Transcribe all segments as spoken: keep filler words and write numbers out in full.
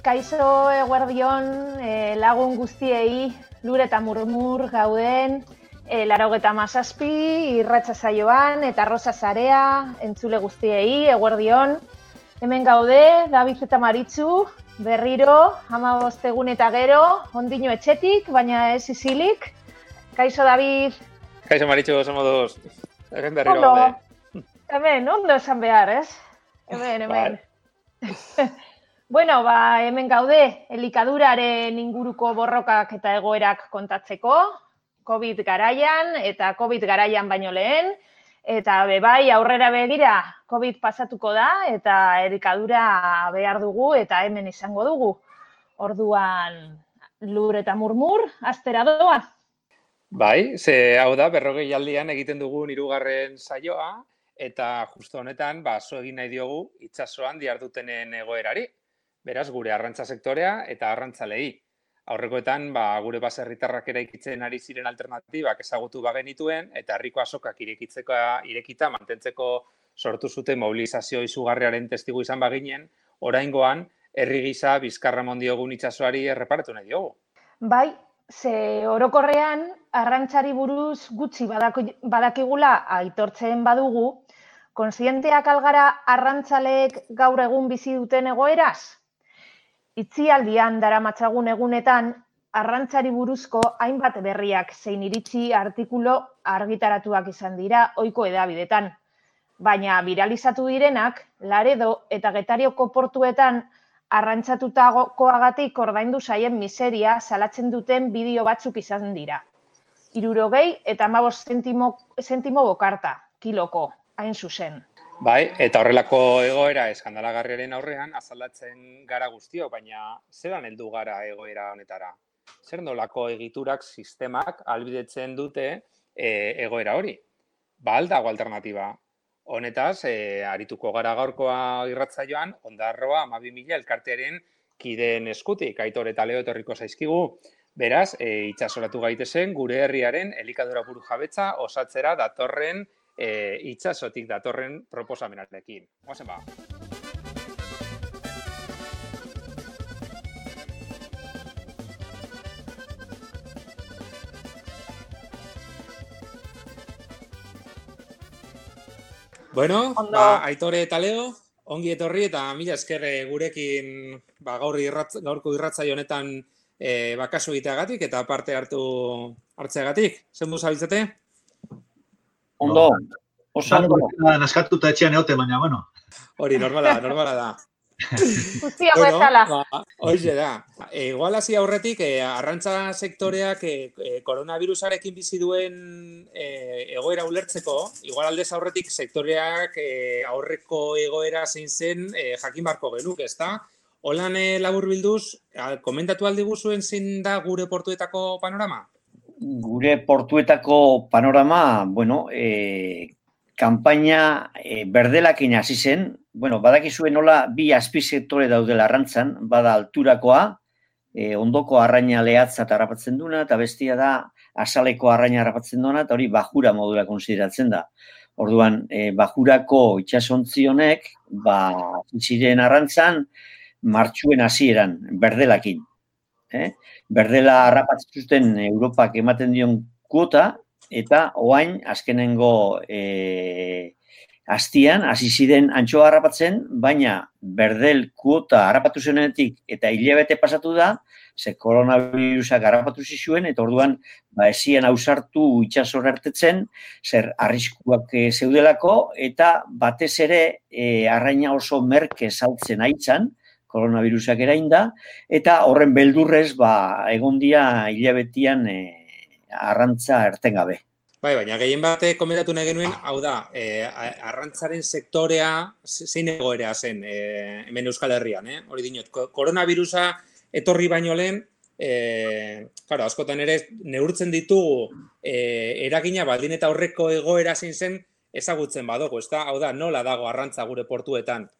Kaixo eguerdion e, lagun guztiei, lur eta murmur gauden, e, laurogeta hamazazpi, irratsa saioan eta arroza zarea, entzule guztiei, eguerdion. Hemen gaude, David eta Maritxu, berriro, hamabost egun eta gero, ondino etxetik, baina ez isilik. Kaixo, David. Kaixo, Maritxu, somos hemen berriro gaude. Hemen, ondo esan behar, ez? Hemen, hemen. Bueno, ba, hemen gaude, elikaduraren inguruko borrokak eta egoerak kontatzeko, COVID garaian eta COVID garaian baino lehen, eta bebai aurrera begira COVID pasatuko da eta elikadura behar dugu eta hemen izango dugu. Orduan, lur eta murmur, astera doa. Bai, ze hau da, berrogei aldian egiten dugun hirugarren saioa, eta justo honetan, ba, zo egin nahi diogu itsasoan dihardutenen egoerari. Beraz, gure arrantza sektorea eta arrantzalei. Aurrekoetan, ba, gure baserritarrak eraikitzen ari ziren alternatibak ezagutu bagenituen, eta herriko azokak irekitzeko irekita mantentzeko sortu zuten mobilizazio izugarriaren testigu izan baginen, oraingoan, herri gisa bizkarra eman diogun itsasoari erreparatu nahi diogu. Bai, ze orokorrean, arrantzari buruz gutxi badakigula aitortzen badugu, kontzienteak algara arrantzaleek gaur egun bizi duten egoeraz? Itzialdian daramatzagun egunetan, arrantzari buruzko hainbat berriak zein iritzi artikulu argitaratuak izan dira ohiko hedabideetan. Baina viralizatu direnak, Laredo eta Getarioko portuetan arrantzatutakoagatik ordaindu zaien miseria salatzen duten bideo batzuk izan dira. Hirurogei eta hamabost zentimo, zentimo bokarta, kiloko, hain zuzen. Bai, eta horrelako egoera eskandalagarriaren aurrean azaldatzen gara guztio, baina zelan heldu gara egoera honetara? Zer nolako egiturak, sistemak ahalbidetzen dute e, egoera hori? Ba, aldago alternatiba. Honetaz, e, arituko gara gaurkoa irratsaioan, Ondarroa hamabi mila elkartearen kideen eskutik, Aitor eta Leo etorriko zaizkigu. Beraz, e, itsasoratu gaitezen gure herriaren elikadura burujabetza osatzera datorren E, itsasotik datorren proposamenarekin. Goazen ba. Bueno, ba, Aitore eta Leo, ongi etorri eta mila esker gurekin ba, gaur irratz, gaurko irratzaio honetan e, bakaso egiteagatik eta parte hartu hartzeagatik. Zer du zabiltzate? Ondo, oso ondo. Naskatuta etxean egote, baina, bueno. Hori, normala, normala da. Guztia bezala. Ba, hoize da. E, igual hasi aurretik, e, arrantza sektoreak e, e, koronavirusarekin bizi duen e, egoera ulertzeko, igual aldez aurretik sektoreak e, aurreko egoera zein zen e, jakin barko genuk, ezta? Holan e, laburbilduz, komentatu aldi guzuen zein da gure portuetako panorama? Gure portuetako panorama, bueno, e, kanpaina e, berdelakin hasi zen, bueno, badakizue nola bi azpisektore daudela arrantzan, bada alturakoa, e, ondoko arraina lehatza eta harrapatzen duna, eta bestia da azaleko arraina harrapatzen duna, eta hori bajura modura konsideratzen da. Orduan, e, bajurako itsasontzi honek, ba, ziren arrantzan, martxuen hasieran, berdelakin. Eh? Berdela harrapatzen zuten Europak ematen dion kuota, eta oain azkenengo e, astian, hasi ziren antxoa harrapatzen, baina berdel kuota harrapatu zenetik eta hilabete pasatu da, ze koronavirusak harrapatu zizuen, eta orduan ba, ezien ausartu itxasora ertetzen, zer arriskuak e, zeudelako, eta batez ere e, arraina oso merke saltzen aitzan, koronavirusak erainda, eta horren beldurrez, ba, egon dia hilabetian e, arrantza ertengabe. Bai, baina gehien bate komentatu nahi genuen, hau da, e, arrantzaren sektorea zein egoera zen e, hemen Euskal Herrian, eh? Hori dinot, koronavirusa etorri baino lehen, e, claro, askotan ere neurtzen ditugu e, eragina baldin eta horreko egoera zein zen ezagutzen badugu, ezta? Hau da, nola dago arrantza gure portuetan?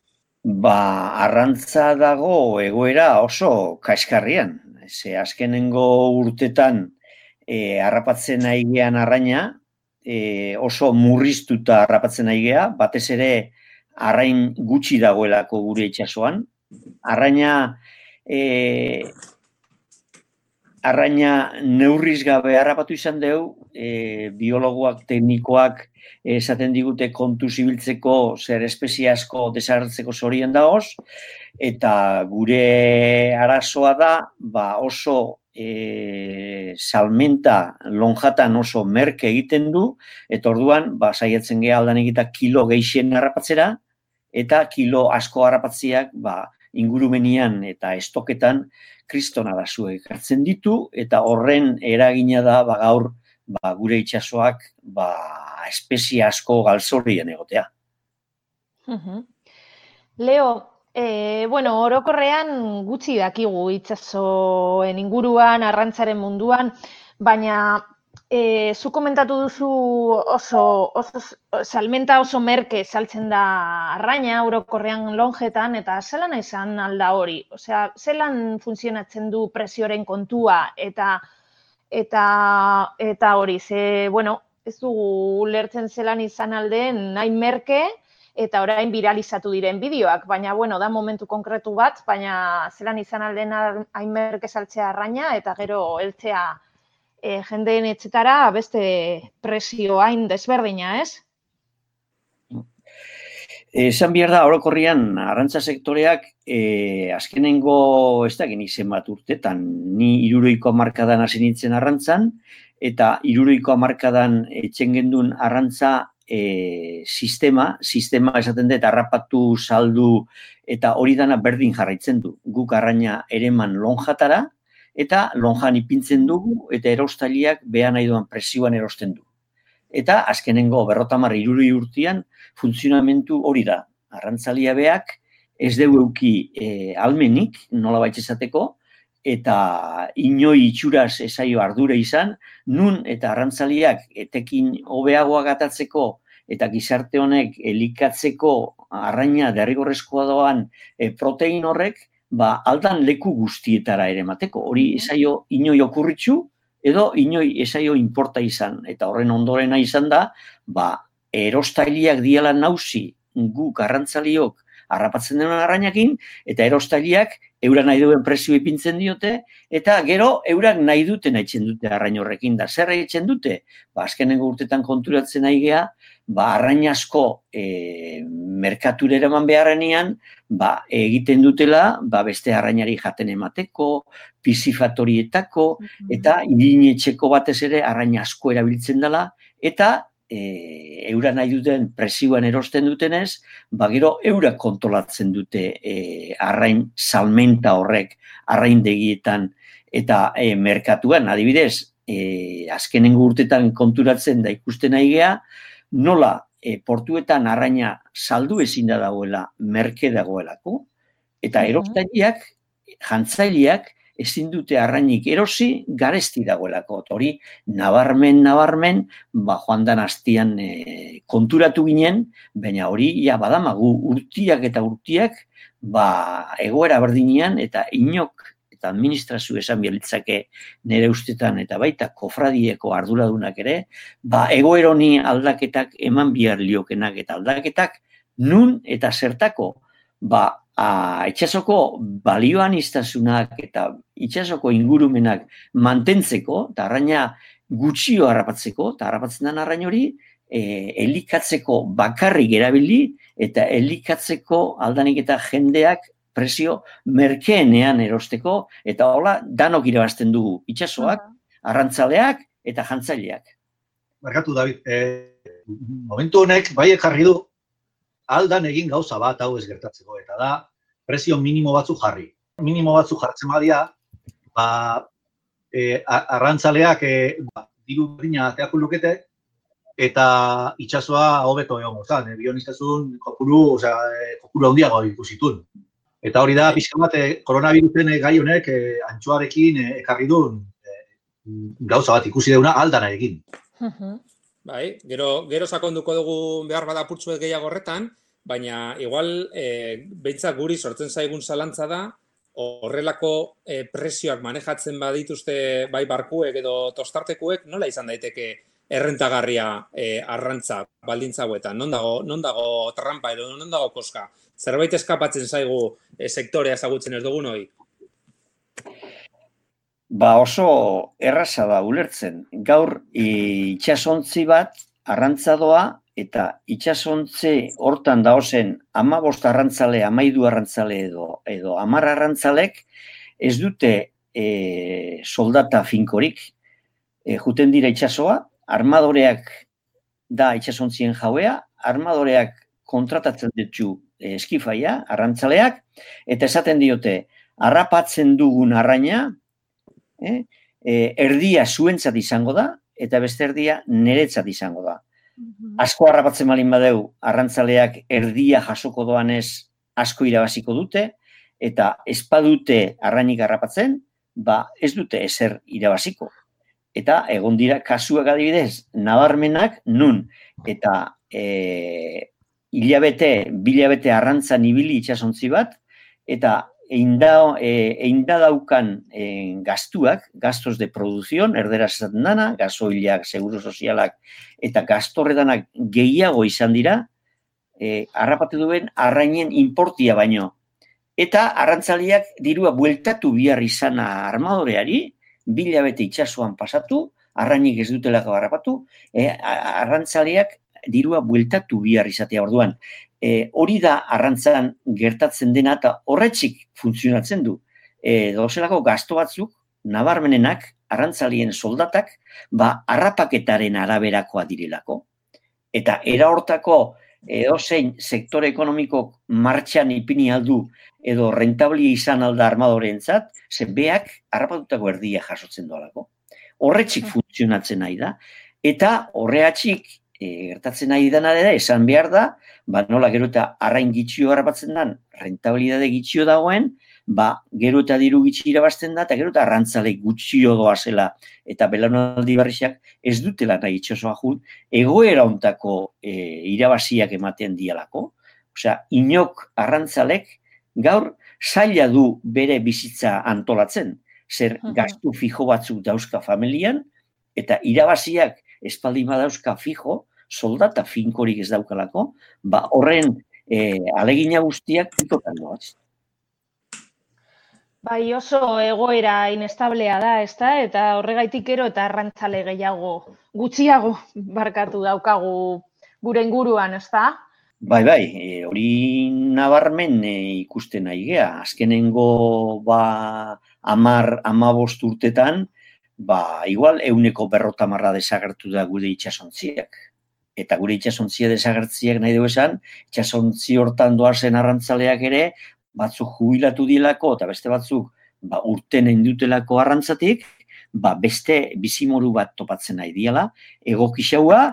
Ba, arrantza dago egoera oso kaiskarrian. Ze azkenengo urtetan e, harrapatzen nahi gean arraina, e, oso murriztuta harrapatzen nahi gea, batez ere arrain gutxi dagoelako gure itsasoan. Arraina e, arraina neurriz gabe harrapatu izan dugu, e, biologoak, teknikoak esaten digute kontu zibiltzeko zer espezie asko desagertzeko zorien dagoz, eta gure arazoa da ba oso e, salmenta lonjatan oso merke egiten du, eta orduan ba, saiatzen geha aldan egita kilo geixen harrapatzera, eta kilo asko harrapatziak ba, ingurumenian eta estoketan kriston arazuek hartzen ditu, eta horren eragina da ba, gaur ba, gure itsasoak ba, espezie asko galzorrien egotea. Uh-huh. Leo, e, bueno, orokorrean gutxi dakigu itsasoen inguruan, arrantzaren munduan, baina e, zu komentatu duzu oso, oso salmenta oso merke saltzen da arraina orokorrean lonjetan, eta zelan izan alda hori? Osea, zelan funtzionatzen du presioren kontua eta eta eta hori, ze, bueno, ez dugu ulertzen zelan izan aldeen nahi merke, eta orain viralizatu diren bideoak, baina, bueno, da momentu konkretu bat, baina zelan izan alden hain merke saltzea arraina, eta gero heltzea e, jendeen etxetara beste presio hain desberdina, ez? Esan behar da, orokorrian, arrantza sektoreak, e, azkenengo, ez da geni zenbat urtetan, ni hirurogeiko hamarkadan hasi nintzen arrantzan, eta hirurogeiko hamarkadan etxen gendun arrantza E, sistema, sistema esaten dut, harrapatu, saldu, eta hori dana berdin jarraitzen du. Guk arraina ereman lonjatara, eta lonjan ipintzen dugu, eta erostailiak behan nahi duan presioan erosten du. Eta azkenengo berrotamar hirurogei urtean funtzionamentu hori da. Arrantzalia beak ez dugu euki e, almenik, nola baitz esateko, eta inoi itxuraz esaio ardura izan, nun eta arrantzaliak etekin hobeagoa gatatzeko eta gizarte honek elikatzeko arraina derrigorrezkoa doan e, protein horrek, ba, aldan leku guztietara ere mateko. Hori esaio inoi okurritxu edo inoi esaio inporta izan. Eta horren ondorena izan da, ba, erostailiak diala nauzi guk arrantzaliok harrapatzen den arrainakin, eta erostailiak eura nahi duen presio ipintzen diote, eta gero eurak nahi duten haitzen dute arrain horrekin da. Zer haitzen dute? Ba, azkenengo urtetan konturatzen nahi geha, ba, arrain asko e, merkatura eraman beharrenean, ba, egiten dutela, ba, beste arrainari jaten emateko, pisifatorietako, eta irinetxeko batez ere arrain asko erabiltzen dela, eta E, eura nahi duten presioan erosten dutenez, ba gero eura kontrolatzen dute e, arrain salmenta horrek arraindegietan eta e, merkatuan, adibidez, e, azkenengo urtetan konturatzen da ikusten nahi gea, nola e, portuetan arraina saldu ezin da dagoela, merke dagoelako, eta erostailiak, jantzaileak, ezin dute arrainik erosi garesti dagoelako. Hori, nabarmen, nabarmen, ba, joan dan hastian e, konturatu ginen, baina hori, ja, badamagu urtiak eta urtiak, ba, egoera berdinean, eta inok, eta administrazio esan bialitzake nire ustetan, eta baita kofradieko arduradunak ere, ba, egoeroni aldaketak eman bihar liokenak eta aldaketak, nun eta zertako, ba, A, itxasoko balioan iztasunak eta itxasoko ingurumenak mantentzeko, eta arraina gutxio harrapatzeko, eta harrapatzen den arrain hori, e, elikatzeko bakarrik erabili, eta elikatzeko aldanik eta jendeak presio merkeenean erosteko, eta hola danok irabazten dugu itxasoak, arrantzaleak eta jantzaileak. Barkatu, David, e, momentu honek bai jarri du aldan egin gauza bat hau ez gertatzeko, eta da presio minimo batzu jarri. Minimo batzu jartzen badia, ba, e, arrantzaleak e, ba, diru berdina ateako lukete, eta itsasoa hobeto egongo zan, e, bioniztasun kopuru, osea, e, kopuru handiago ikusitun. Eta hori da, pixka bat, e, koronavirusen gai honek e, antxoarekin e, ekarri duen e, gauza bat ikusi deuna aldana egin. Bai, gero, gero sakonduko dugu behar bada purtsuet gehiago horretan, baina igual e, behintzat guri sortzen zaigun zalantza da, horrelako e, presioak manejatzen badituzte bai barkuek edo tostartekuek, nola izan daiteke errentagarria e, arrantza baldintza hauetan? Non dago, non dago trampa edo non dago koska? Zerbait eskapatzen zaigu e, sektorea ezagutzen ez dugun hori? Ba oso erraza da ulertzen. Gaur itsasontzi bat arrantzadoa eta itsasontze hortan daozen hamabost arrantzale, hamairu arrantzale edo edo hamar arrantzalek ez dute e, soldata finkorik. E, juten dira itsasoa, armadoreak da itsasontzien jauea, armadoreak kontratatzen ditu e, eskifaia, arrantzaleak, eta esaten diote, harrapatzen dugun arraina, eh, e, erdia zuentzat izango da, eta beste erdia niretzat izango da. Asko harrapatzen balin badeu, arrantzaleak erdia jasoko doanez asko irabaziko dute, eta espadute arrainik harrapatzen, ba ez dute ezer irabaziko. Eta egon dira kasuak adibidez, nabarmenak nun, eta e, hilabete, bilabete arrantzan ibili itsasontzi bat, eta einda, e, einda daukan e, gastuak, gastos de producción, erderaz esaten dana, gasoilak, seguro sozialak, eta gastorretanak gehiago izan dira, e, harrapatu duen arrainen importia baino. Eta arrantzaliak dirua bueltatu bihar izana armadoreari, bilabete itsasoan pasatu, arrainik ez dutelako harrapatu, e, arrantzaliak dirua bueltatu bihar izatea orduan. E, hori da arrantzan gertatzen dena eta horretxik funtzionatzen du. E, dozelako gasto batzuk, nabarmenenak, arrantzalien soldatak, ba, harrapaketaren araberakoa direlako. Eta era hortako edozein sektore ekonomiko martxan ipini aldu edo rentablia izan alda armadoreentzat, ze beak harrapatutako erdia jasotzen doalako. Horretxik funtzionatzen nahi da, eta horreatxik e, gertatzen nahi dena dira, esan behar da, ba nola gero eta arrain gitxio harrapatzen den, rentabilidade gitxio dagoen, ba gero eta diru gitxi irabazten da, eta gero eta arrantzale gutxio doazela, eta belaunaldi berriak ez dutela nahi itxosoa jun, egoera ontako e, irabaziak ematen dialako. Osea, inok arrantzalek gaur zaila du bere bizitza antolatzen, zer gastu fijo batzuk dauzka familian, eta irabaziak espaldin badauzka fijo, soldata finkorik ez daukalako, ba horren e, alegina guztiak pikotan doaz. Bai, oso egoera inestablea da, ezta? Eta horregaitik ero eta arrantzale gehiago, gutxiago barkatu daukagu gure inguruan, ezta? Bai, bai, e, hori nabarmen e, ikusten nahi gea. Azkenengo ba, amar, amabost urtetan, ba, igual euneko berrota marra desagertu da gure itsasontziak. Eta gure itsasontziak desagertziak nahi dugu esan, itsasontzi hortan doazen arrantzaleak ere, batzuk jubilatu dilako, eta beste batzuk ba, urten indutelako arrantzatik, ba, beste bizimoru bat topatzen nahi diala, egokixaua,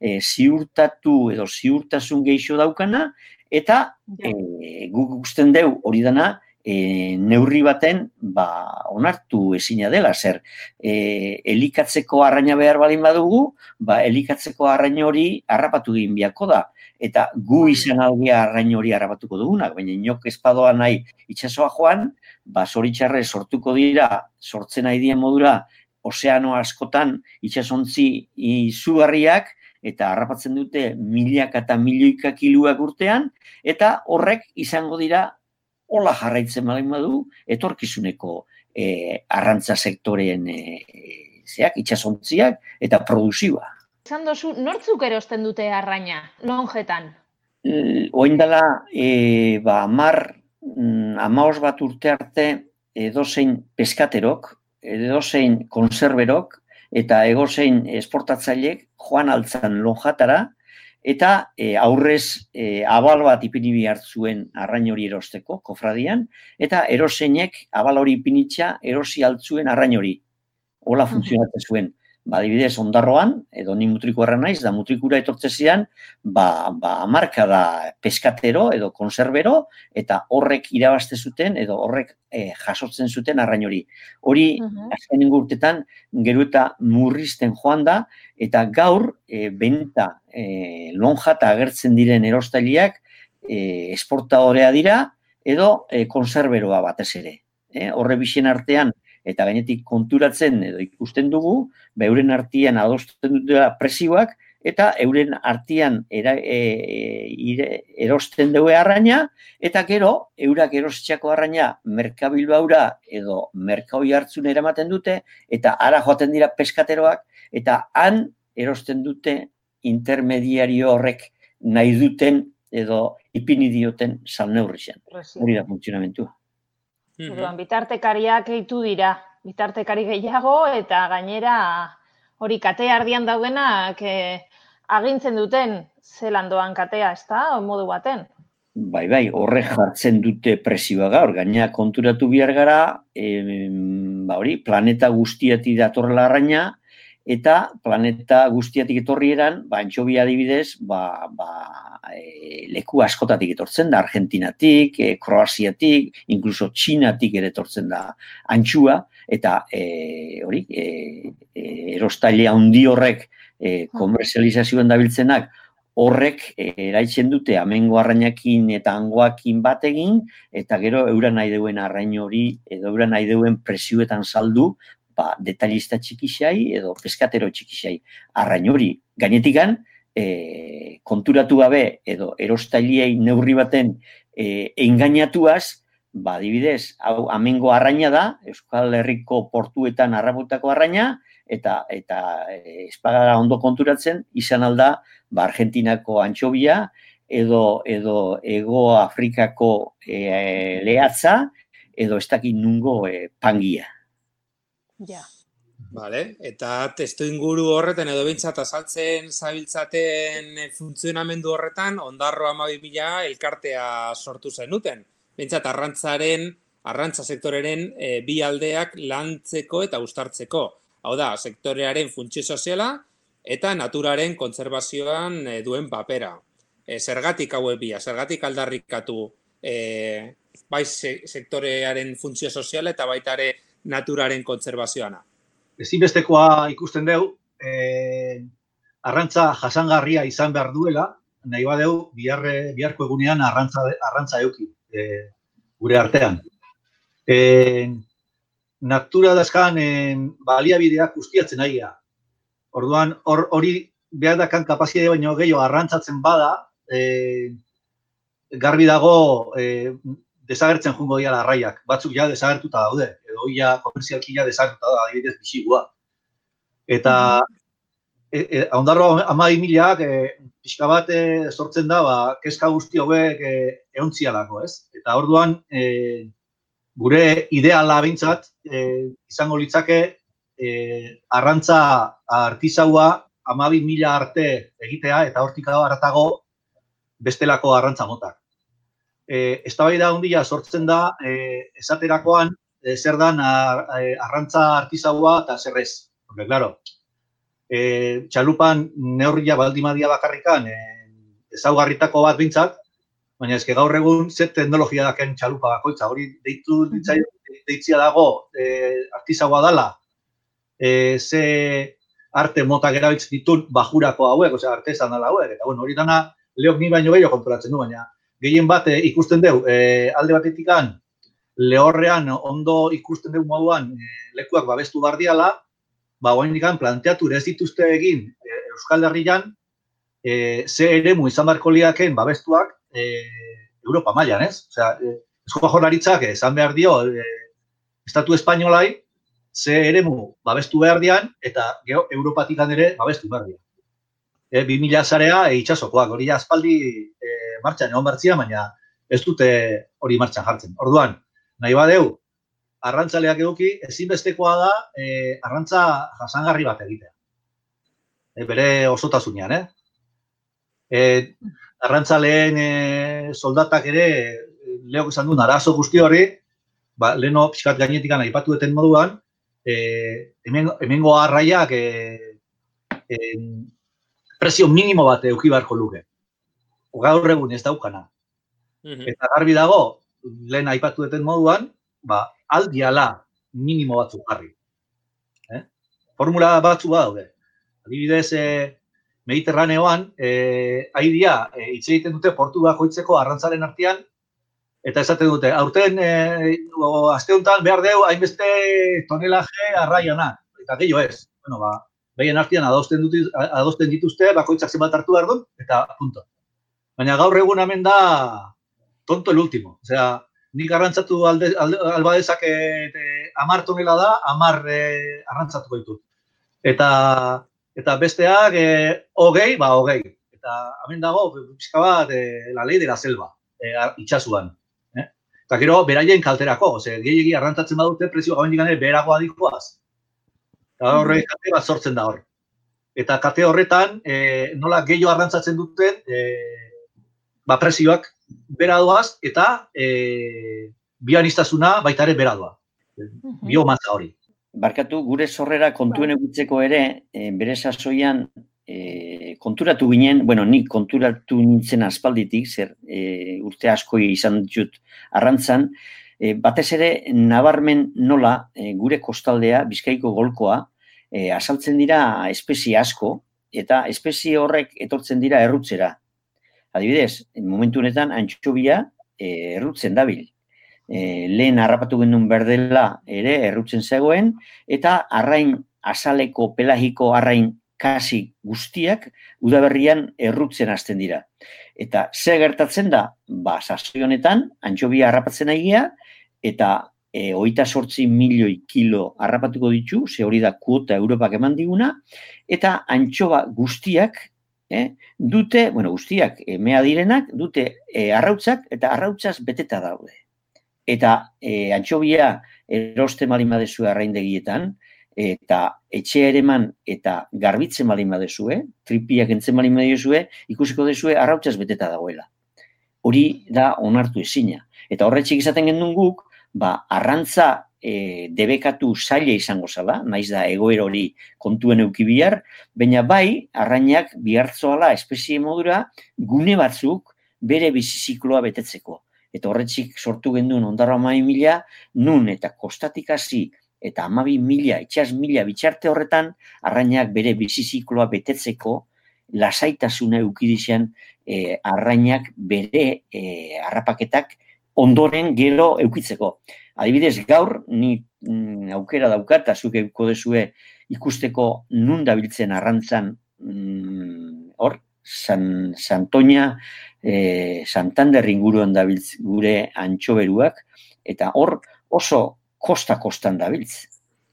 E, ziurtatu edo ziurtasun geixo daukana, eta e, guk gusten deu hori dana e, neurri baten ba, onartu ezina dela, zer e, elikatzeko arraina behar balin badugu, ba, elikatzeko arrain hori harrapatu egin biako da, eta gu izan algea arrain hori harrapatuko dugunak, baina inok espadoa nahi itsasoa joan, ba, zoritxarre sortuko dira, sortzen nahi dien modura, ozeano askotan itsasontzi izugarriak, eta harrapatzen dute milaka eta milioika kiluak urtean, eta horrek izango dira hola jarraitzen balin badu, etorkizuneko e, arrantza sektoreen e, zeak, itsasontziak eta produzioa. Esan dozu, nortzuk erosten dute arraina, lonjetan? E, Oin dela, e, ba, amar, amaos bat urte arte edozein peskaterok, edozein konserberok, eta egozein esportatzailek joan altzan lonjatara, eta e, aurrez e, abal bat ipini behar zuen arrain hori erosteko, kofradian, eta eroseinek abal hori ipinitza erosi altzuen arrain hori. Hola funtzionatzen zuen. Ba, adibidez, ondarroan, edo ni mutriko erran naiz, da mutrikura etortzezian, ba, ba, marka da peskatero edo konserbero, eta horrek irabazte zuten, edo horrek e, jasotzen zuten arrain hori. Hori, uh-huh. azkenengo urtetan, gero eta murrizten joan da, eta gaur, e, benta e, lonjata agertzen diren erostailiak e, esportadorea dira, edo e, konserberoa batez ere. E, horre bixen artean, eta gainetik konturatzen edo ikusten dugu, beuren artean adosten dutela presioak, eta euren artean era, e, ire, erosten dugu arraina, eta gero, eurak erostxako arraina Merkabilbaura edo Merkahoi hartzun eramaten dute, eta ara joaten dira peskateroak, eta han erosten dute intermediario horrek nahi duten edo ipini dioten salneurrixen. Hori da funtzionamentua. Orduan, bitartekariak gehitu dira, bitartekari gehiago, eta gainera hori katea ardian daudenak eh, agintzen duten zelan doan katea, ez da, modu baten? Bai, bai, horrek jartzen dute presioa gaur, gaina konturatu behar gara, eh, ba hori, planeta guztiatik datorrela arraina, eta planeta guztiatik etorrieran, ba, antxobi adibidez, ba, ba, e, leku askotatik etortzen da, Argentinatik, e, Kroaziatik, inkluso Txinatik ere etortzen da antxua, eta e, hori, e, e, erostaile handi horrek e, komerzializazioan dabiltzenak, horrek e, eraitzen dute amengo arrainakin eta hangoakin bat egin, eta gero eura nahi deuen arrain hori, edo eura nahi deuen presioetan saldu, ba, detalista txikixai edo peskatero txikixai arrain hori. Gainetikan, e, konturatu gabe edo erostailiei neurri baten e, engainatuaz, ba, adibidez, hau amengo arraina da, Euskal Herriko portuetan harraputako arraina, eta eta e, espagara ondo konturatzen, izan alda, ba, Argentinako antxobia, edo, edo Ego Afrikako e, lehatza, edo ez dakit nungo e, pangia. Ja. Vale, eta testu inguru horretan edo bintzat azaltzen zabiltzaten funtzionamendu horretan, Ondarro hamabi mila elkartea sortu zenuten. Bintzat arrantzaren, arrantza sektoreren e, bi aldeak lantzeko eta uztartzeko. Hau da, sektorearen funtzio soziala eta naturaren kontserbazioan e, duen papera. E, zergatik hauek bia, zergatik aldarrikatu e, bai se, sektorearen funtzio soziala eta baita ere naturaren kontserbazioana. Ezinbestekoa ikusten dugu, eh, arrantza jasangarria izan behar duela, nahi badeu, biharre, biharko egunean arrantza, arrantza euki eh, gure artean. Eh, natura dazkan eh, baliabideak ustiatzen aia. Orduan, hor, hori behar dakan kapazidea baino gehiago arrantzatzen bada, eh, garbi dago eh, desagertzen jungo dira arraiak. Batzuk ja desagertuta daude, edo ia komerzialki ja desagertuta da, adibidez bisigua. Eta e, e, Ondarro hamabi milak e, pixka bat e, sortzen da, ba, kezka guzti hauek e, eontzialako, ez? Eta orduan, e, gure ideala bintzat, e, izango litzake, e, arrantza artizaua hamabi mila arte egitea, eta hortik haratago bestelako arrantza motak. E, eztabaida handia sortzen da, e, esaterakoan, e, zer dan ar, e, arrantza artizaua eta zer ez. Porque, claro, e, txalupan neurria baldimadia bakarrikan e, ezaugarritako bat bintzat, baina ezke gaur egun ze teknologia daken txalupa bakoitza. Hori deitu deitzia dago e, artizaua dala, e, ze arte motak erabiltzen ditun bajurako hauek, osea, artesan dala hauek. Eta, bueno, hori dana leok ni baino gehiago konturatzen du, baina gehien bat e, ikusten dugu, e, alde batetikan, lehorrean ondo ikusten dugu moduan e, lekuak babestu bardiala, ba, guainikan planteatu ez dituzte egin e, Euskal Herrian, e, ze eremu izan barko liaken babestuak e, Europa mailan, ez? Osea, e, Eusko Jaurlaritzak esan behar dio, e, Estatu Espainolai, ze eremu babestu behar dian, eta geho, Europatikan ere babestu behar dian. E, bi mila zarea e, itxasokoak, hori aspaldi e, martxan egon bertzia, baina ez dute hori martxan jartzen. Orduan, nahi badeu, arrantzaleak eduki, ezinbestekoa da e, arrantza jasangarri bat egitea. E, bere osotasunean, eh? E, arrantzaleen e, soldatak ere, leok esan duen, arazo guzti hori, ba, leheno pixkat gainetikan aipatu duten moduan, e, hemen, hemengo arraiak e, e, prezio minimo bat eduki beharko luke. Gaur egun ez daukana. Mm-hmm. Eta garbi dago, lehen aipatu duten moduan, ba, aldiala minimo batzuk jarri. Eh? Formula batzu badaude. Adibidez, eh, Mediterraneoan, eh, aidia, eh, hitz egiten dute portu bakoitzeko arrantzaren artean, eta esaten dute, aurten, eh, aste honetan behar deu, hainbeste tonelaje arraiana, eta gehiago ez. Bueno, ba, behien artean adosten, dut, adosten dituzte, bakoitzak zenbat hartu behar dut, eta punto. Baina gaur egun hemen da tonto el último. Osea, nik arrantzatu alde, alde, albadezak e, amar tonela da, amar e, arrantzatuko ditut. Eta, eta besteak e, hogei, ba hogei. Eta hemen dago, pixka bat, e, la ley de la selva, e, itxasuan. Eh? Eta gero, beraien kalterako, ose, gehiagi arrantzatzen badute, prezio gabendik gane, beragoa dikoaz. Eta horre kate bat sortzen da hor. Eta kate horretan, e, nola gehiago arrantzatzen duten, e, ba, prezioak bera doaz, eta e, bioaniztasuna baita ere bera doa. Biomasa hori. Barkatu, gure sorrera kontuen egutzeko ere, e, bere sasoian e, konturatu ginen, bueno, nik konturatu nintzen aspalditik, zer e, urte asko izan ditut arrantzan, e, batez ere nabarmen nola e, gure kostaldea, Bizkaiko golkoa, e, asaltzen dira espezie asko, eta espezie horrek etortzen dira errutzera. Adibidez, momentu honetan, antxobia e, errutzen dabil. E, lehen harrapatu genuen berdela ere errutzen zegoen, eta arrain azaleko pelagiko arrain kasi guztiak udaberrian errutzen hasten dira. Eta ze gertatzen da, ba, sasoi honetan, antxobia harrapatzen aigia, eta e, hogeita zortzi milioi kilo harrapatuko ditu, ze hori da kuota Europak eman diguna, eta antxoba guztiak, Eh, dute, bueno, guztiak, emea direnak, dute e, arrautzak eta arrautzaz beteta daude. Eta e, antxobia eroste malin badezue arraindegietan, eta etxea ereman eta garbitzen malin badezue, tripiak entzen malin badezue, ikusiko dezue arrautzaz beteta dagoela. Hori da onartu ezina. Eta horretxik izaten gendun guk, ba, arrantza E, debekatu zaila izango zala, naiz da egoera hori kontuen euki bihar, baina bai, arrainak bihartzoala espezie modura gune batzuk bere bizizikloa betetzeko. Eta horretxik sortu genduen ondarro amabi mila, nun eta kostatik hasi eta amabi mila, itxas mila bitxarte horretan, arrainak bere bizizikloa betetzeko lasaitasuna eukidizan e, arrainak bere e, harrapaketak ondoren gero eukitzeko. Adibidez, gaur, ni mm, aukera daukat, eta zuk euko dezue ikusteko nun dabiltzen arrantzan, mm, hor, San, Santoña, eh, Santander inguruan dabiltz gure antxoberuak, eta hor oso kosta-kostan dabiltz.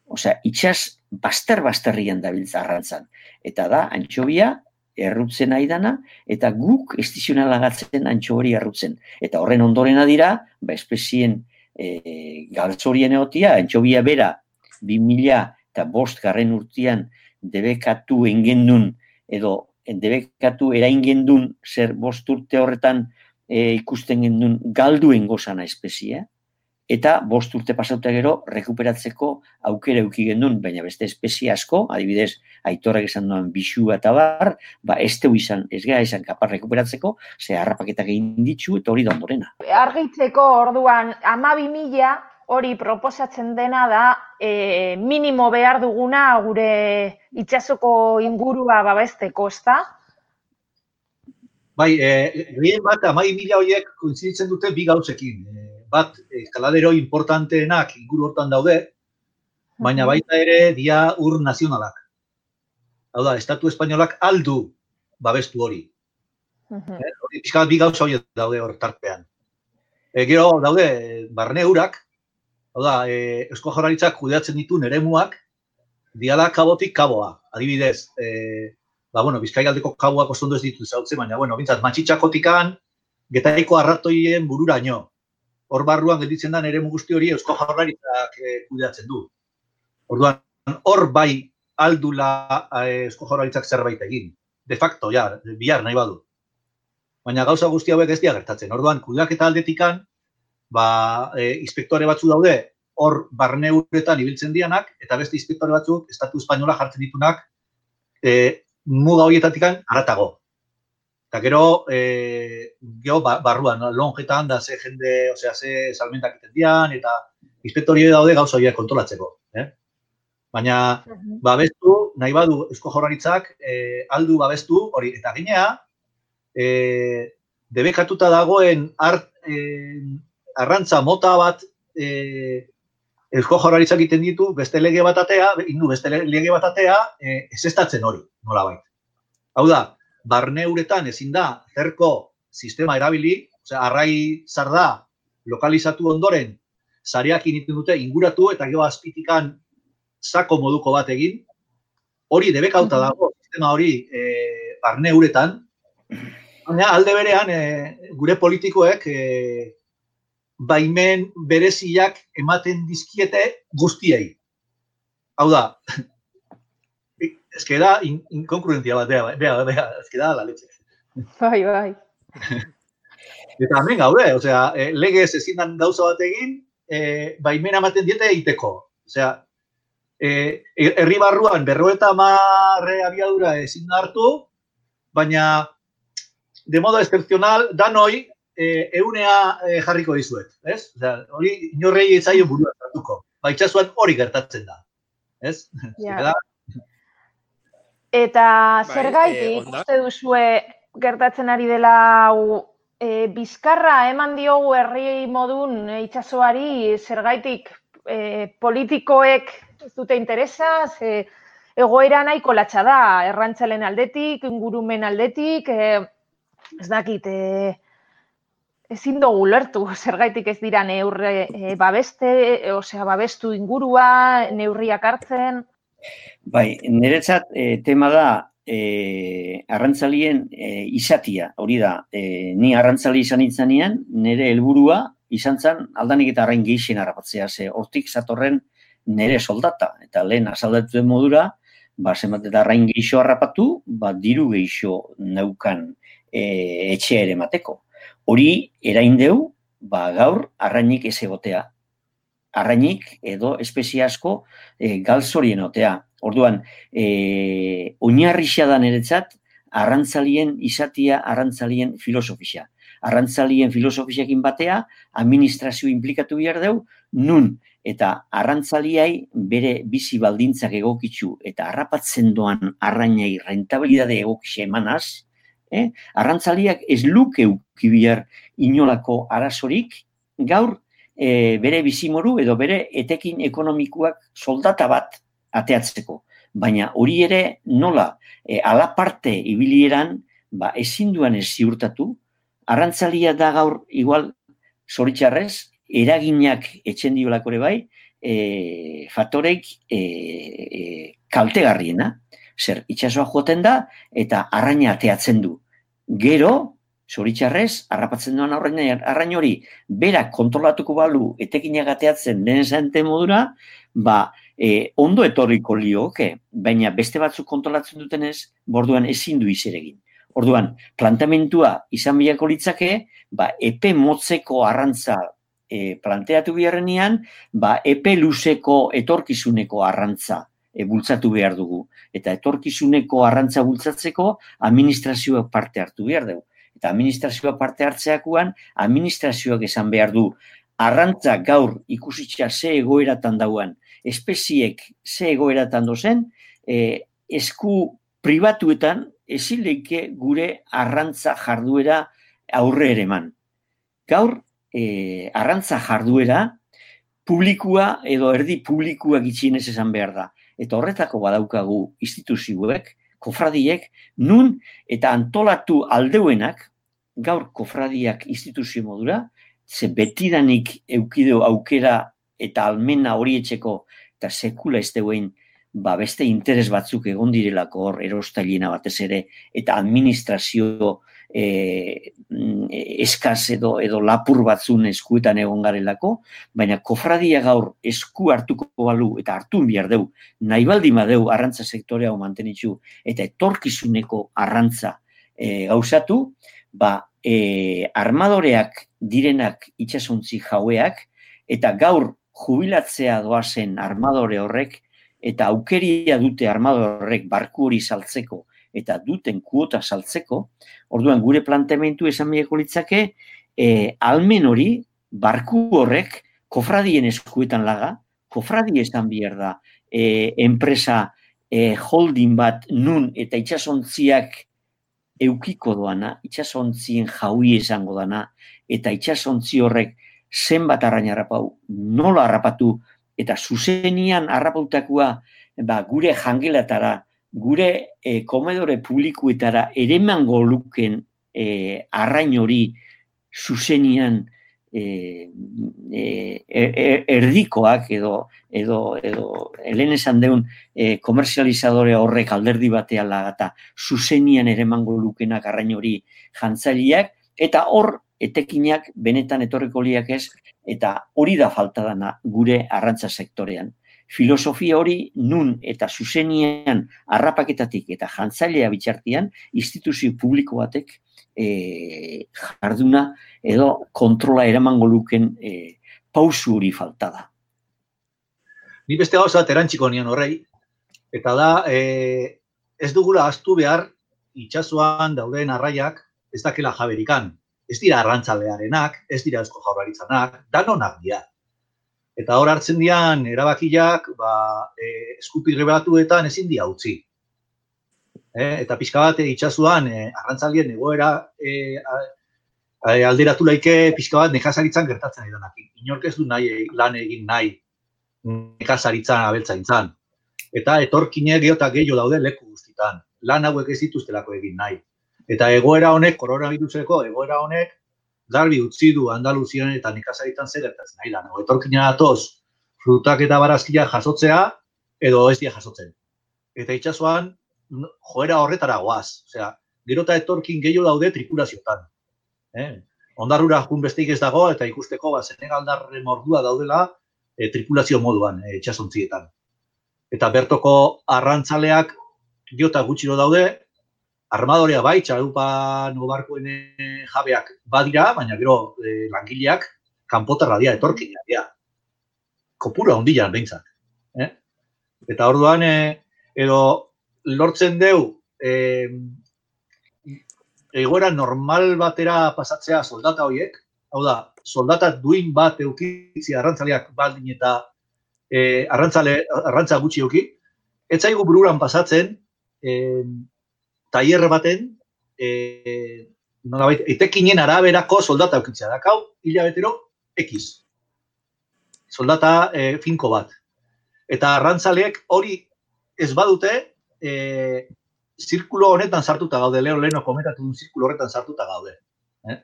Osea, itxas baster-basterrian dabiltz arrantzan. Eta da, antxobia errutzen aidana, eta guk estizionalagatzen antxo hori errutzen. Eta horren ondorena dira, ba, espezien E, galtzorien egotia, antxobia bera bi mila eta bost garren urtean debekatu engendun edo debekatu eraingendun zer bost urte horretan e, ikusten gendun galduen gozana espezie, eta bost urte pasauta gero rekuperatzeko aukera euki gendun, baina beste espezie asko, adibidez, Aitorrek esan duen bisua eta bar, ba ez teu izan, ez gara izan kapar rekuperatzeko, ze harrapaketak egin ditzu eta hori da ondorena. Argitzeko orduan hamabi mila hori proposatzen dena da e, minimo behar duguna gure itsasoko ingurua babesteko, ezta? Bai, eh, gehien bat hamabi mila horiek kointziditzen dute bi gauzekin. Eh, bat, eskaladero importanteenak inguru hortan daude, baina baita ere dia ur nazionalak. Hau da, Estatu Espainolak aldu babestu hori. Uh-huh. Eh, hori pixka bi gauza horiek daude hor tarpean. E, gero daude barne urak, hau da, e, Eusko Jaurlaritzak kudeatzen dituen eremuak, diala kabotik kaboa. Adibidez, e, ba, bueno, Bizkaigaldeko kaboak oso ondo ez ditu zautzen, baina, bueno, bintzat, Matxitxakotikan, Getaiko arratoien bururaino. Hor barruan gelditzen den eremu guzti hori Eusko Jaurlaritzak e, kudeatzen du. Orduan, hor bai aldula e, Eusko Jaurlaritzak zerbait egin. De facto, ja, bihar nahi badu. Baina gauza guzti hauek ez dira gertatzen. Orduan, kudeaketa aldetikan, ba, e, inspektore batzu daude, hor barne uretan ibiltzen dianak, eta beste inspektore batzuk, Estatu Espainola jartzen ditunak, e, muga horietatikan haratago. Eta gero, e, gero barruan, lonjetan da ze jende, osea, ze salmentak egiten dian, eta inspektori daude gauza horiek kontrolatzeko. Eh? Baina, babestu, nahi badu Eusko Jaurlaritzak, e, aldu babestu, hori, eta ginea, e, debekatuta dagoen art, e, arrantza mota bat e, Eusko Jaurlaritzak egiten ditu beste lege bat atea, indu beste lege bat atea, e, ezestatzen hori, nolabait. Hau da, barne uretan ezin da zerko sistema erabili, osea, arrai zarda lokalizatu ondoren, sareak egiten dute inguratu eta gero azpitikan sako moduko bat egin, hori debekauta dago, sistema hori e, barne uretan, baina alde berean e, gure politikoek e, baimen bereziak ematen dizkiete guztiei. Hau da, ez que da in, inkonkluentzia bat, bea, bea, bea, ez que da la leche. Bai, bai. Eta hemen gaude, osea, e, legez ezin dan gauza bat egin, e, baimena ematen diete egiteko. Osea, e, herri barruan berroeta marre abiadura ezin da hartu, baina de modo excepcional, danoi, e, eunea e, jarriko dizuet, ez? Osea, hori inorrei ezaio burua hartuko. Ba, itxasuan hori gertatzen da, ez? Ja. Eta Bai, zergaitik eh, onda? uste duzue gertatzen ari dela hau, e, bizkarra eman diogu herri modun e, itsasoari zergaitik e, politikoek ez dute interesa, ze egoera nahiko latxa da, errantzalen aldetik, ingurumen aldetik, e, ez dakit, e, ezin dugu ulertu, zergaitik ez dira neurre e, babeste, e, osea, babestu ingurua, neurriak hartzen. Bai, niretzat e, tema da e, arrantzalien e, izatia, hori da, e, ni arrantzali izan itzanean, nire helburua izan zen aldanik eta arrain gehixen harrapatzea, ze hortik zatorren nire soldata, eta lehen azaldatu den modura, ba, zenbat eta arrain gehixo harrapatu, ba, diru gehixo neukan e, etxea ere mateko. Hori eraindeu, ba, gaur arrainik ez egotea. Arrainik edo espezie asko e, galzorien otea. Orduan, e, oinarrixa da niretzat, arrantzalien izatia, arrantzalien filosofia. Arrantzalien filosofiakin batea, administrazio implikatu behar deu, nun eta arrantzaliai bere bizi baldintzak egokitzu eta harrapatzen doan arrainei rentabilidade egokitxe emanaz, eh? Arrantzaliak ez luke uki behar inolako arazorik, gaur e, bere bizimoru edo bere etekin ekonomikoak soldata bat ateatzeko. Baina hori ere nola e, alaparte ibilieran ba, ezin duan ez ziurtatu, arrantzalia da gaur igual zoritxarrez, eraginak etxen diolako ere bai, e, faktoreik e, e, kaltegarriena. Zer, itxasoa joten da eta arraina ateatzen du. Gero, zoritxarrez, harrapatzen duan arrain hori, berak kontrolatuko balu etekinak ateatzen den zente modura, ba, e, ondo etorriko lioke, baina beste batzuk kontrolatzen dutenez, borduan ezin du izeregin. Orduan, plantamentua izan bilako litzake, ba, epe motzeko arrantza e, planteatu beharrenean, ba, epe luzeko etorkizuneko arrantza e, bultzatu behar dugu. Eta etorkizuneko arrantza bultzatzeko, administrazioak parte hartu behar dugu. Eta administrazioak parte hartzeakoan, administrazioak esan behar du, arrantza gaur ikusitza ze egoeratan dauan, espeziek ze egoeratan dozen, e, esku pribatuetan ezin leike gure arrantza jarduera aurre ere eman. Gaur, e, arrantza jarduera publikua edo erdi publikua gitxienez esan behar da. Eta horretako badaukagu instituzioek, kofradiek, nun eta antolatu aldeuenak, gaur kofradiak instituzio modura, ze betidanik eukideu aukera eta almena horietxeko eta sekula ez deuen ba, beste interes batzuk egon direlako hor erostailena batez ere eta administrazio e, eskaz edo, edo lapur batzun eskuetan egon garelako, baina kofradia gaur esku hartuko balu eta hartun behar deu, nahi baldin badeu arrantza sektorea mantenitzu eta etorkizuneko arrantza e, gauzatu, ba, e, armadoreak direnak itxasontzi jaueak eta gaur jubilatzea doazen armadore horrek eta aukeria dute armadore horrek barku hori saltzeko eta duten kuota saltzeko, orduan gure planteamentu esan bieko litzake, e, almen hori barku horrek kofradien eskuetan laga, kofradie esan behar da e, enpresa e, holding bat nun eta itxasontziak eukiko doana, itxasontzien jaui esango dana, eta itxasontzi horrek zenbat arrain harrapau, nola harrapatu eta zuzenian harrapautakoa ba, gure jangelatara, gure e, komedore publikuetara ere emango luken e, arrain hori zuzenian e, e, erdikoak edo edo edo helen esan deun e, komerzializadore horrek alderdi batean lagata zuzenian ere emango lukenak arrain hori jantzaileak, eta hor etekinak benetan etorriko liak ez, eta hori da falta dana gure arrantza sektorean. Filosofia hori nun eta zuzenian harrapaketatik eta jantzailea bitxartian instituzio publiko batek e, jarduna edo kontrola eramango luken e, pausu hori falta da. Ni beste gauza erantxiko nion horrei, eta da e, ez dugula ahaztu behar itsasoan dauden arraiak ez dakela jaberikan. Ez dira arrantzalearenak, ez dira Eusko Jaurlaritzanak, danonak dira. Eta hor hartzen dian erabakiak ba, e, eskupirre batuetan ezin dia utzi. E, eta pixka bat itsasoan e, arrantzalien egoera e, a, alderatu laike pixka bat nekazaritzan gertatzen ari danak. Inork ez du nahi lan egin nahi nekazaritzan abeltzaintzan. Eta etorkinek gero eta gehiago daude leku guztitan. Lan hauek ez dituztelako egin nahi. Eta egoera honek, koronaviruseko egoera honek, garbi utzi du Andaluzian eta nekazaritan zer gertatzen nahi da. Etorkina datoz, frutak eta barazkiak jasotzea, edo ez dira jasotzen. Eta itsasoan, joera horretara goaz. Osea, gero eta etorkin gehiago daude tripulaziotan. Eh? Ondarrura jun besteik ez dago, eta ikusteko ba, Senegaldarre mordua daudela e, tripulazio moduan e, itsasontzietan. Eta bertoko arrantzaleak gero eta gutxiro daude, armadorea bai, txalupan barkoen jabeak badira, baina gero e, langileak kanpotarra dira, etorkinak dira. Kopura hondilan behintzat. Eh? Eta orduan, e, edo lortzen deu e, egoera normal batera pasatzea soldata horiek, hau da, soldata duin bat eukitzi arrantzaleak baldin eta e, arrantzale, arrantza gutxi euki, ez zaigu bururan pasatzen, e, tailer baten, e, nolabait, etekinen araberako soldata eukitzea. Dakau, hilabetero, X. Soldata e, finko bat. Eta arrantzaleek hori ez badute, e, zirkulo honetan sartuta gaude, lehen leheno komentatu duen zirkulo horretan sartuta gaude. Eh?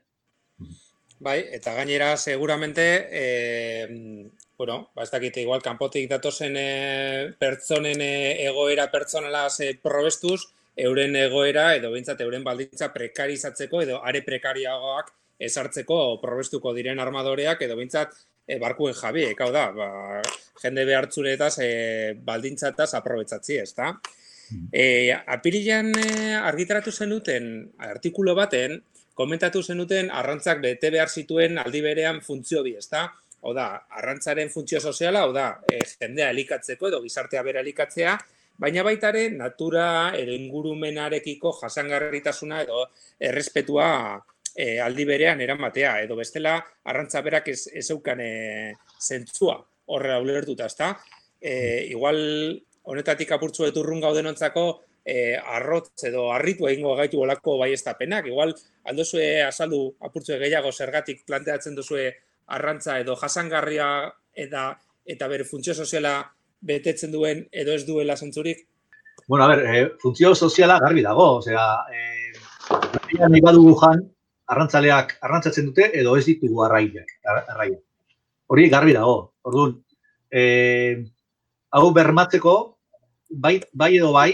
Bai, eta gainera, seguramente, e, bueno, ba, ez dakite, igual, kanpotik datozen e, pertsonen e, egoera pertsonalaz e, probestuz, euren egoera edo behintzat euren baldintza prekarizatzeko edo are prekariagoak ezartzeko probestuko diren armadoreak edo behintzat e, barkuen jabiek, hau da, ba, jende behartzuretaz e, baldintzataz aprobetsatzi, ez da? E, apirilean e, argitaratu zenuten artikulu baten, komentatu zenuten arrantzak bete behar zituen aldi berean funtzio bi, ez da? Hau da, arrantzaren funtzio soziala, hau da, e, jendea elikatzeko edo gizartea bera elikatzea, baina baitare natura edo ingurumenarekiko jasangarritasuna edo errespetua e, aldi berean eramatea. Edo bestela arrantza berak ez, ez eukan e, zentzua horre ulertuta, ezta? E, igual honetatik apurtzu eturrun gaudenontzako e, arrotz edo harritu egingo gaitu olako baiestapenak. Igual aldozue azaldu apurtzu gehiago zergatik planteatzen duzue arrantza edo jasangarria eta, eta bere funtzio soziala betetzen duen edo ez duela zentzurik? Bueno, a ber, eh, funtzio soziala garbi dago, osea, eh, nahi badugu jan, arrantzaleak arrantzatzen dute edo ez ditugu arraiak, arraiak. Hori garbi dago. Orduan, eh, hau bermatzeko, bai, bai edo bai,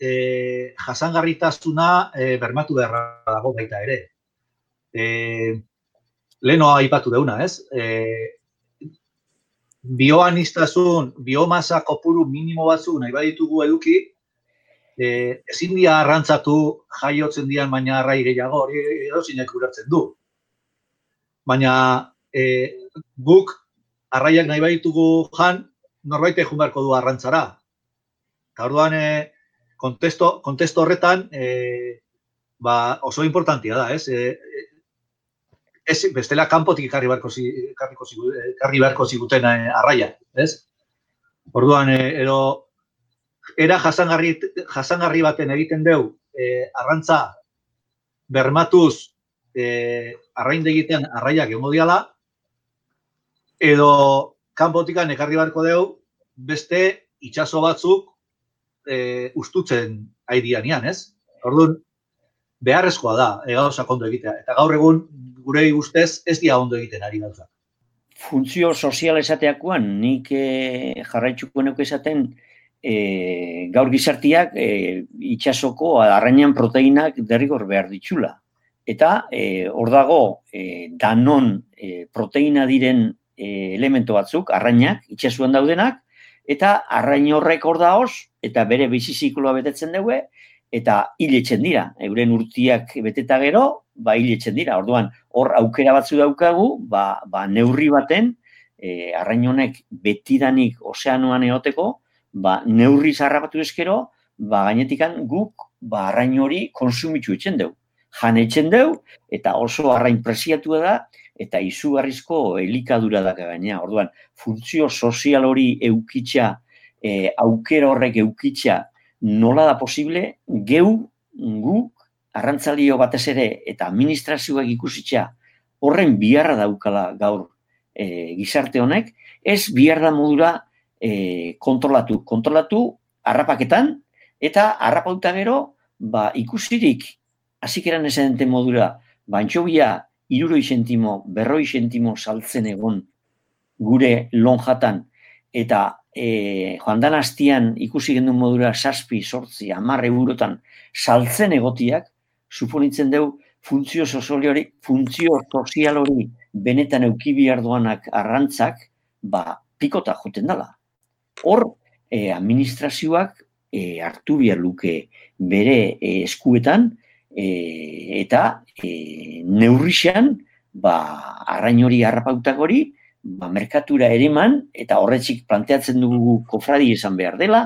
eh, jasangarritasuna eh, bermatu beharra dago baita ere. Eh, Leheno aipatu deuna, ez? Eh, bioaniztasun, biomasa kopuru minimo batzu nahi baditugu eduki, e, ezin dia arrantzatu jaiotzen dian baina arrai gehiago, hori edozinek ulertzen du. Baina e, guk arraiak nahi baditugu jan, norbaitek jun beharko du arrantzara. Eta orduan, e, kontesto, kontesto horretan e, ba, oso importantia da, ez? E, Ez, bestela kanpotik ekarri beharko ziguten arraia, ez? Orduan, edo, era jasangarri, jasangarri baten egiten deu, e, arrantza bermatuz e, arraindegitean arraiak egongo diala, edo kanpotikan ekarri beharko dugu beste itsaso batzuk e, ustutzen aidianian, ez? Orduan, beharrezkoa da, e, gauzak ondo egitea. Eta gaur egun, gure ustez, ez dira ondo egiten ari gauzak. Funtzio sozial esateakoan, nik e, jarraitzuko nuke esaten, e, gaur gizartiak e, itsasoko arrainan proteinak derrigor behar ditxula. Eta e, hor dago e, danon e, proteina diren e, elemento batzuk, arrainak, itsasuan daudenak, eta arrain horrek hor daoz, eta bere bizi zikloa betetzen dugu, eta hiletzen dira. Euren urtiak beteta gero, ba hiletzen dira. Orduan, hor aukera batzu daukagu, ba, ba neurri baten, e, arrain honek betidanik ozeanoan eoteko, ba neurri zarrapatu eskero, ba gainetikan guk ba arrain hori konsumitzu etzen dugu. Jan etzen dugu, eta oso arrain presiatua da, eta izugarrizko elikadura da gaina. Orduan, funtzio sozial hori eukitza, e, aukera horrek eukitza, nola da posible, geu, guk, arrantzalio batez ere, eta administrazioak ikusitza, horren biharra daukala gaur e, gizarte honek, ez biharra modura e, kontrolatu. Kontrolatu harrapaketan, eta harrapauta gero, ba, ikusirik, hasikeran esan denten modura, ba, antxobia, hiruroi zentimo, berroi zentimo saltzen egon gure lonjatan, eta e, joan dan hastian ikusi gendun modura saspi, sortzi, hamar eurotan saltzen egotiak, suponitzen dugu funtzio sozial hori, funtzio sozial hori benetan euki behar doanak arrantzak, ba, pikota joten dela. Hor, e, administrazioak e, hartu behar luke bere e, eskuetan, E, eta e, neurrixan, ba, arrain hori harrapautak hori, ba, merkatura ereman, eta horretzik planteatzen dugu kofradi esan behar dela,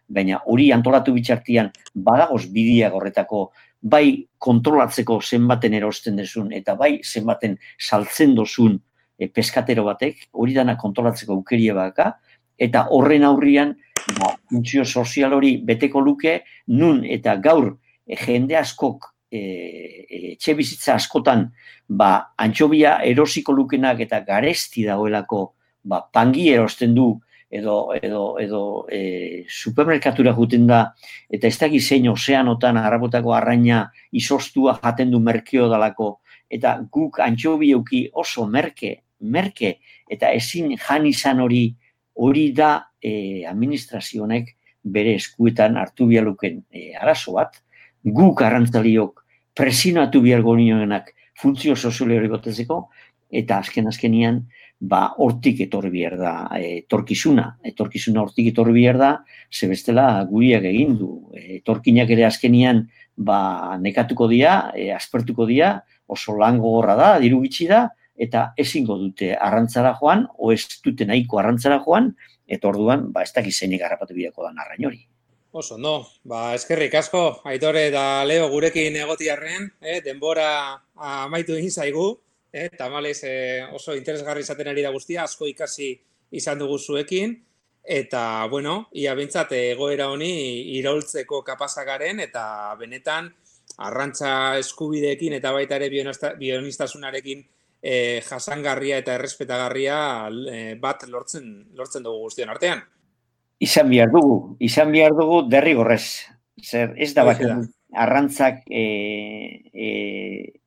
baina hori antolatu bitxartian badagoz bidiak horretako bai kontrolatzeko zenbaten erosten dezun, eta bai zenbaten saltzen dozun e, peskatero batek, hori dana kontrolatzeko aukeria baka, eta horren aurrian, ba, funtzio sozial hori beteko luke, nun eta gaur, E, jende askok, e, e, etxe bizitza askotan, ba, antxobia erosiko lukenak eta garesti dagoelako, ba, pangi erosten du, edo, edo, edo e, supermerkatura juten da, eta ez dakiz zein ozeanotan harrapotako arraina izostua jaten du merkeo dalako, eta guk antxobieuki oso merke, merke, eta ezin jan izan hori, hori da e, administrazionek bere eskuetan hartu bialuken e, arazo bat, guk arrantzaliok presionatu bihargo nioenak funtzio sozial hori gotetzeko, eta azken-azkenian, ba, hortik etorri behar da etorkizuna. Etorkizuna hortik etorri behar da, ze bestela guriak egin du. Etorkinak ere azkenian, ba, nekatuko dira, e, aspertuko dira, oso lan gogorra da, diru bitxi da, eta ezingo dute arrantzara joan, o ez dute nahiko arrantzara joan, eta orduan, ba, ez dakiz zeinik harrapatu bideako da arrain hori. Oso, no. Ba, eskerrik asko, Aitore eta Leo gurekin egotiarren, eh, denbora amaitu egin zaigu, eh, tamalez eh, oso interesgarri izaten ari da guztia, asko ikasi izan dugu zuekin, eta, bueno, ia bintzat egoera honi iraultzeko kapazagaren, eta benetan arrantza eskubideekin eta baita ere bionistasunarekin eh, jasangarria eta errespetagarria eh, bat lortzen, lortzen dugu guztion artean. Izan behar dugu, izan behar dugu derrigorrez. Zer, ez da bakarrik arrantzak e, e,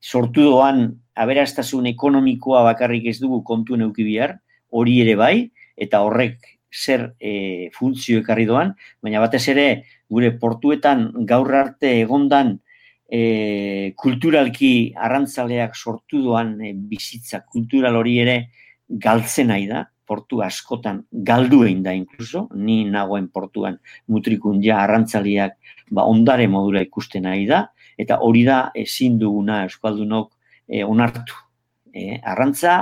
sortu doan aberastasun ekonomikoa bakarrik ez dugu kontu neuki behar, hori ere bai, eta horrek zer e, funtzio ekarri doan, baina batez ere gure portuetan gaur arte egondan e, kulturalki arrantzaleak sortu doan e, bizitza kultural hori ere galtzen nahi da. Portu askotan galdu egin da inkluso, ni nagoen portuan mutrikun ja arrantzaliak ba, ondare modura ikusten nahi da, eta hori da ezin duguna euskaldunok e, onartu. E, arrantza,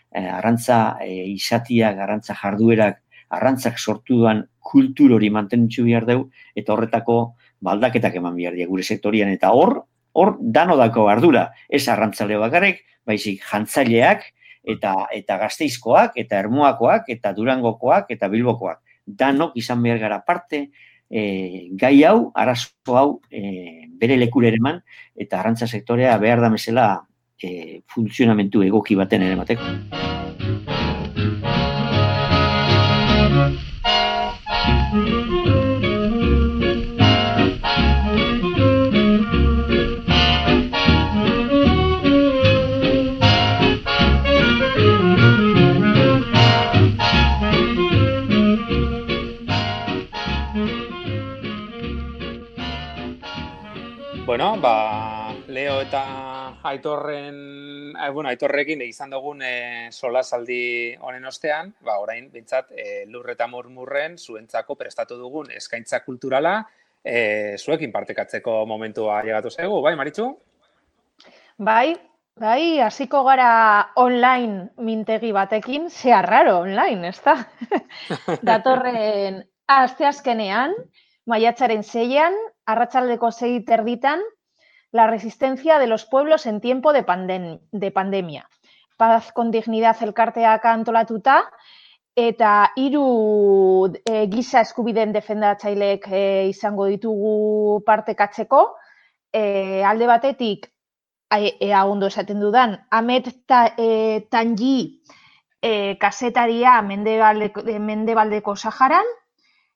e, arrantza e, izatiak, arrantza jarduerak, arrantzak sortu duan kultur hori mantenitzu behar dugu, eta horretako baldaketak eman behar dira gure sektorian, eta hor, hor dano dako ardura, ez arrantzale bakarrik, baizik jantzaileak, eta eta Gasteizkoak, eta Ermuakoak, eta Durangokoak, eta Bilbokoak. Danok izan behar gara parte, e, gai hau, arazo hau, e, bere lekura ere eman, eta arrantza sektorea behar da mesela e, funtzionamentu egoki baten ere mateko. Bueno, ba, Leo eta Aitorren, eh, bueno, Aitorrekin izan dugun eh, solasaldi honen ostean, ba, orain, bintzat, eh, lur eta murmurren zuentzako prestatu dugun eskaintza kulturala eh, zuekin partekatzeko momentua llegatu zaigu, bai, Maritxu? Bai, bai, hasiko gara online mintegi batekin, zea raro online, ez da? Datorren asteazkenean, maiatzaren seian, arratsaldeko sei terditan, la resistencia de los pueblos en tiempo de, pandem de pandemia. Paz con dignidad elkarteak antolatuta, eta hiru e, giza eskubideen defendatzaileek e, izango ditugu partekatzeko, e, alde batetik, ea ondo esaten dudan, Amet ta, e, Tanji e, kasetaria Mendebaldeko, Mendebaldeko Saharan,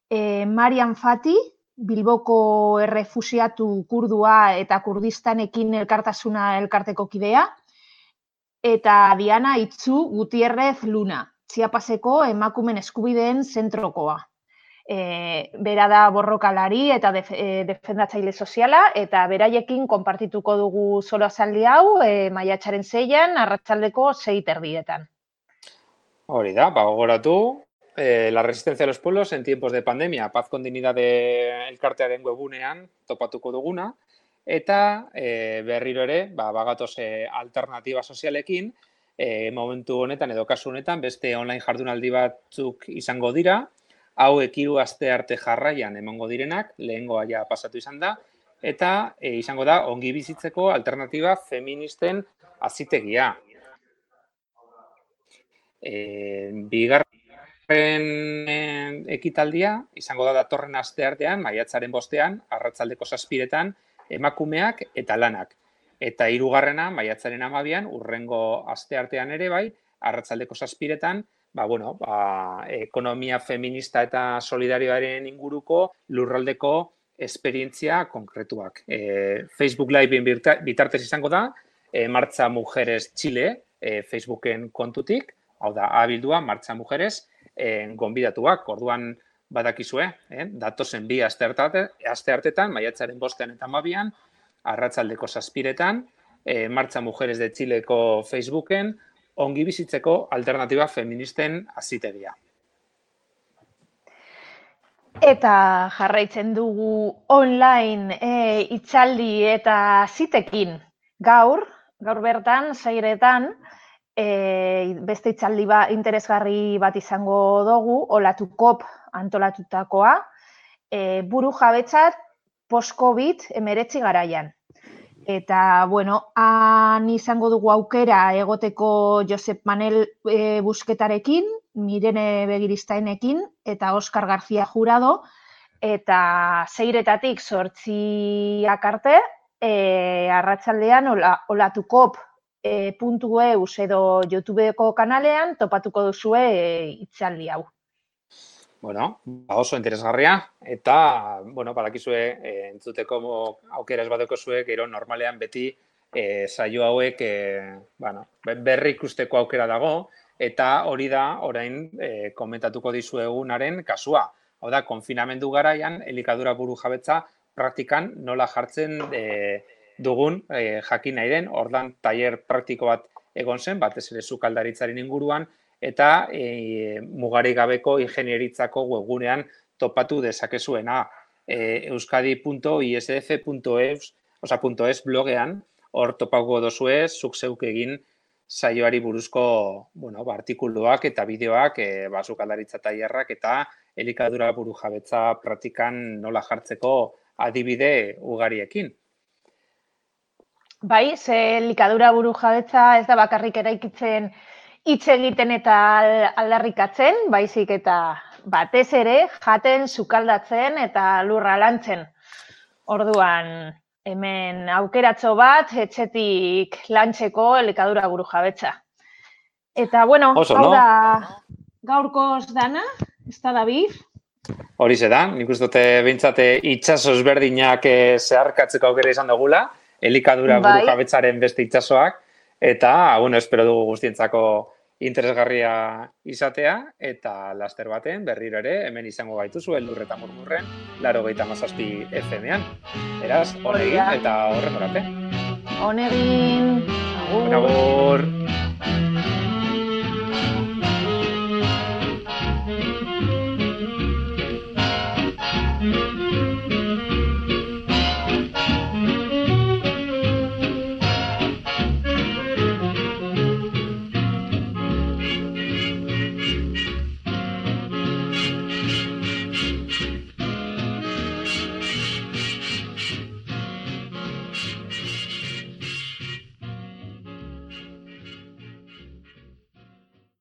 e, Marian Fati, Bilboko errefusiatu kurdua eta Kurdistanekin elkartasuna elkarteko kidea, eta Diana Itzu Gutierrez Luna, Chiapaseko emakumen eskubideen zentrokoa. E, bera da borrokalari eta def, e, defendatzaile soziala, eta beraiekin konpartituko dugu solasaldi hau e, maiatzaren seian, arratsaldeko sei terdietan. Hori da, ba, gogoratu. Eh, la resistencia de los pueblos en tiempos de pandemia, Paz con dignidad de elkartearen webunean topatuko duguna, eta eh, berriro ere, ba, bagatoz eh, alternatiba sozialekin, eh, momentu honetan edo kasu honetan beste online jardunaldi batzuk izango dira, hauek hiru aste arte jarraian emango direnak, lehengoa ja pasatu izan da, eta eh, izango da ongi bizitzeko alternatiba feministen azitegia. Eh, bigar ekitaldia izango da datorren asteartean, maiatzaren bostean, arratsaldeko zazpiretan, emakumeak eta lanak. Eta hirugarrena, maiatzaren hamabian, urrengo asteartean ere bai, arratsaldeko zazpiretan, ba, bueno, ba, ekonomia feminista eta solidarioaren inguruko lurraldeko esperientzia konkretuak. E, Facebook Liveen bitartez izango da, e, Martxa Mujeres Chile, e, Facebooken kontutik, hau da, abildua, Martxa Mujeres, Eh, gonbidatuak, orduan badakizue, eh? datozen bi aste hartetan, maiatzaren bostean eta hamabian, arratsaldeko zazpiretan, eh, Martxa Mujeres de Chileko Facebooken, ongi bizitzeko alternatiba feministen azitegia. Eta jarraitzen dugu online e, itzaldi eta zitekin gaur, gaur bertan, sairetan, E, beste itzaldi ba, interesgarri bat izango dugu, Olatukop antolatutakoa, e, buru jabetzat post-Covid emeretzi garaian. Eta, bueno, han izango dugu aukera egoteko Josep Manel e, Busketarekin, Mirene Begiristainekin eta Oskar García Jurado, eta seiretatik zortziak arte, e, arratsaldean ola, Olatukop E, puntu eus edo YouTubeko kanalean topatuko duzue e, itzaldi hau. Bueno, oso interesgarria eta, bueno, badakizue e, entzuteko aukera ez badeko zuek, gero normalean beti e, saio hauek e, bueno, berri ikusteko aukera dago eta hori da orain e, komentatuko dizuegunaren kasua. Hau da, konfinamendu garaian, elikadura buru jabetza praktikan nola jartzen e, dugun eh, jakin nahi den, ordan tailer praktiko bat egon zen, batez ere sukaldaritzaren inguruan, eta e, mugarik gabeko ingenieritzako webgunean topatu dezakezuena e, euskadi punto i s f punto e s, oza, .es blogean, hor topauko dozue, zuk zeuk egin saioari buruzko, bueno, ba, artikuluak eta bideoak, e, ba, sukaldaritza tailerrak eta elikadura buru jabetza praktikan nola jartzeko adibide ugariekin. Bai, ze elikadura buru jabetza ez da bakarrik eraikitzen hitz egiten eta aldarrikatzen, baizik eta batez ere jaten, sukaldatzen eta lurra lantzen. Orduan, hemen aukeratxo bat, etxetik lantzeko elikadura buru jabetza. Eta, bueno, Oso, hau no? da gaurkoz dana, ez da David? Horixe da, nik uste dute behintzate itxaso ezberdinak zeharkatzeko aukera izan dugula, elikadura Bai. buru jabetzaren beste itxasoak, eta, bueno, espero dugu guztientzako interesgarria izatea, eta laster baten berriro ere hemen izango gaituzu Eldur eta Murmurren laurogeita hamazazpi F M-an. Beraz, honegin eta horren orate. Honegin, agur. Agur.